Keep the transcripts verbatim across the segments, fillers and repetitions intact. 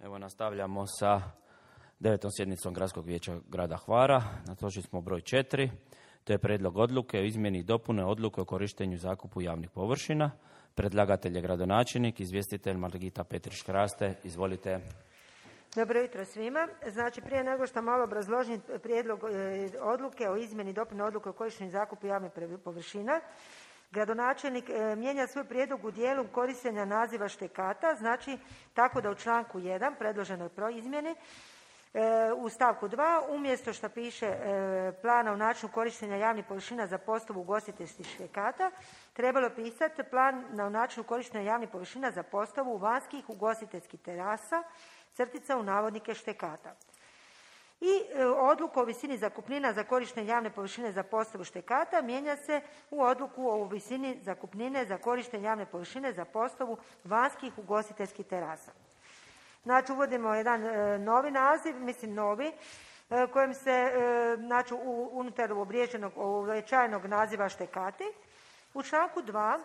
Evo nastavljamo sa devetom sjednicom Gradskog vijeća grada Hvara. Na točki smo broj četiri. To je prijedlog odluke o izmjeni i dopune odluke o korištenju i zakupu javnih površina. Predlagatelj je gradonačelnik, izvjestitelj Margita Petrić-Kraste. Izvolite. Dobro jutro svima. Znači, prije nego što malo obrazložim prijedlog e, odluke o izmjeni i dopuni odluke o korištenju i zakupu javnih površina, gradonačelnik e, mijenja svoj prijedlog u dijelu korištenja naziva štekata, znači tako da u članku jedan predloženoj izmjeni e, u stavku dva umjesto što piše e, plana u načinu korištenja javnih površina za postavu ugostiteljskih štekata, trebalo pisati plan na načinu korištenja javnih površina za postavu vanjskih ugostiteljskih terasa, crtica u navodnike štekata. I e, odluku o visini zakupnina za korištenje javne površine za postavu štekata mijenja se u odluku o visini zakupnine za korištenje javne površine za postavu vanjskih ugostiteljskih terasa. Znači, uvodimo jedan e, novi naziv, mislim novi, e, kojim se e, znači, u, unutar uobliježenog, uobičajenog naziva štekati. U članku dva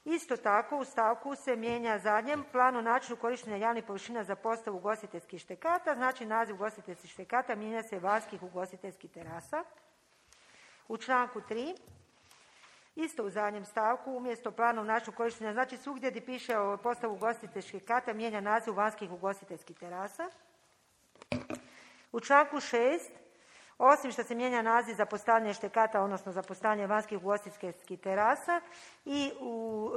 isto tako u stavku se mijenja zadnjem planu načinu korištenja javnih površina za postavu ugostiteljskih štekata, znači naziv ugostiteljskih štekata mijenja se vanjskih ugostiteljskih terasa. U članku tri isto u zadnjem stavku umjesto plana načinu korištenja, znači svugdje gdje piše o postavu ugostiteljskih štekata mijenja naziv vanjskih ugostiteljskih terasa. U članku šest osim što se mijenja naziv za postavljanje štekata, odnosno za postavljanje vanjskih ugostiteljskih terasa i u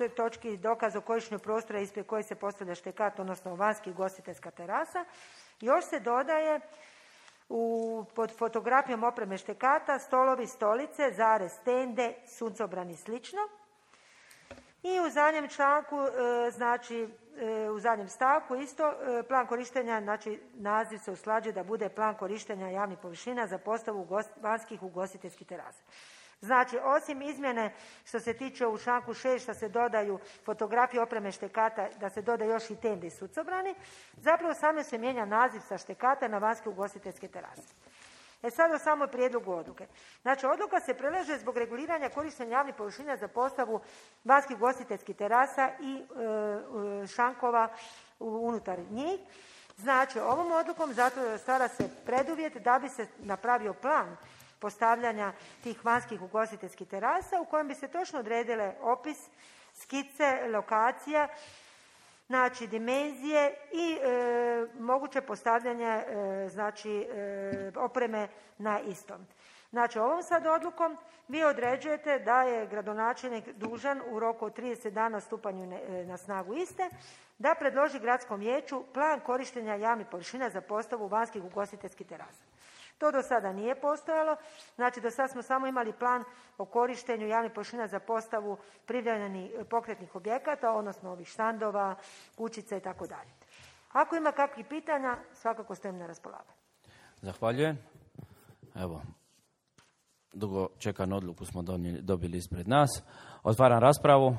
e, točki dokaz o korištenju prostora ispred koje se postavlja štekat, odnosno vanjskih ugostiteljska terasa, još se dodaje u, pod fotografijom opreme štekata stolovi, stolice, zarez, stende, suncobrani i slično. I u zadnjem članku, e, znači e, u zadnjem stavku isto e, plan korištenja, znači naziv se usklađuje da bude plan korištenja javnih površina za postavu ugost, vanjskih ugostiteljskih terasa. Znači, osim izmjene što se tiče u članku šest što se dodaju fotografije opreme štekata, da se doda još i tende i sucobrani, zapravo samo se mijenja naziv sa štekata na vanjske ugostiteljske terase. E sad o samoj prijedlogu odluke. Znači, odluka se predlaže zbog reguliranja korištenja javnih površina za postavu vanjskih ugostiteljskih terasa i e, šankova unutar njih. Znači, ovom odlukom zato stvara se preduvjet da bi se napravio plan postavljanja tih vanjskih ugostiteljskih terasa u kojem bi se točno odredile opis, skice, lokacija, znači dimenzije i e, moguće postavljanje e, znači e, opreme na istom. Znači, ovom sad odlukom vi određujete da je gradonačelnik dužan u roku od trideset dana stupanju ne, na snagu iste da predloži gradskom vijeću plan korištenja javnih površina za postavu vanjskih ugostiteljskih terasa. To do sada nije postojalo, znači do sada smo samo imali plan o korištenju javnih površina za postavu privremenih pokretnih objekata, odnosno ovih štandova, kućica i tako dalje. Ako ima kakvih pitanja, svakako stojim na raspolaganju. Zahvaljujem. Evo, dugo čekanu odluku smo dobili ispred nas. Otvaram raspravu.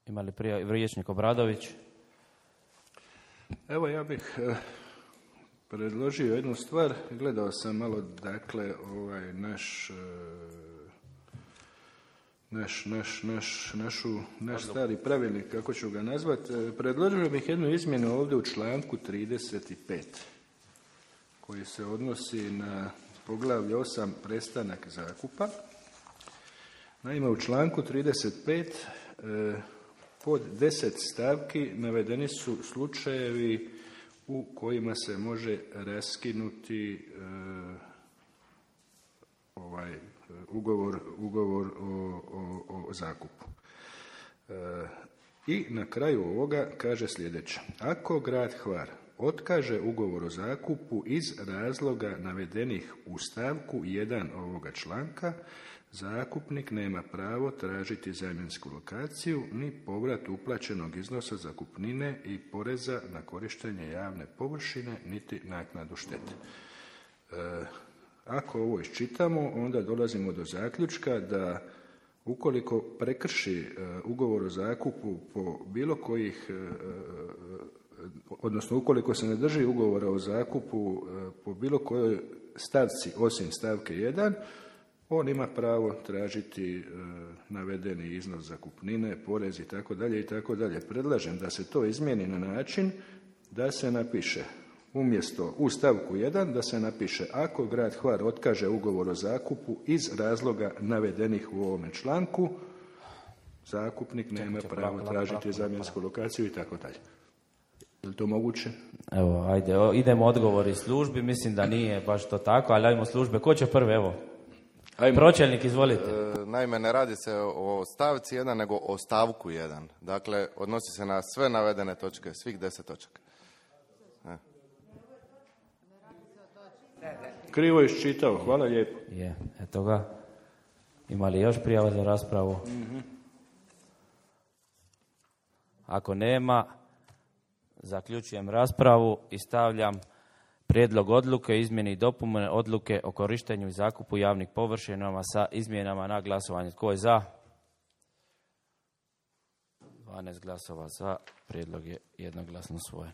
Ima li prije vijećnik Obradović? Evo, ja bih eh, predložio jednu stvar. Gledao sam malo, dakle, ovaj naš, naš, naš, naš, našu, naš stari pravilnik, kako ću ga nazvati. Predložio bih jednu izmjenu ovdje u članku trideset pet, koji se odnosi na poglavlje osam, prestanak zakupa. Naime, u članku trideset pet eh, pod deset stavki navedeni su slučajevi u kojima se može raskinuti e, ovaj ugovor, ugovor o, o, o zakupu. E, I na kraju ovoga kaže sljedeće. Ako grad Hvar otkaže ugovor o zakupu iz razloga navedenih u stavku jedan ovoga članka, zakupnik nema pravo tražiti zamjensku lokaciju ni povrat uplaćenog iznosa zakupnine i poreza na korištenje javne površine niti naknadu štete. E, ako ovo iščitamo, onda dolazimo do zaključka da ukoliko prekrši e, ugovor o zakupu po bilo kojih, e, odnosno ukoliko se ne drži ugovora o zakupu e, po bilo kojoj stavci osim stavke jedan, on ima pravo tražiti e, navedeni iznos zakupnine, porez i tako dalje i tako dalje. Predlažem da se to izmijeni na način da se napiše umjesto u stavku jedan da se napiše ako grad Hvar otkaže ugovor o zakupu iz razloga navedenih u ovome članku, zakupnik nema pravo tražiti zamjensku lokaciju i tako dalje. Je li to moguće? Evo, ajde, o, idemo odgovori službi, mislim da nije baš to tako, ali ajmo službe. Ko će prvi, evo? Ajmo. Pročelnik, izvolite. E, naime, ne radi se o stavci jedan, nego o stavku jedan. Dakle, odnosi se na sve navedene točke, svih deset točaka. E. Krivo iščitao, hvala lijepo. Je, eto ga. Ima li još prijava za raspravu? Mm-hmm. Ako nema, zaključujem raspravu i stavljam prijedlog odluke o izmjeni i dopune odluke o korištenju i zakupu javnih površinama sa izmjenama na glasovanje. Tko je za? dvanaest glasova za. Prijedlog je jednoglasno usvojen.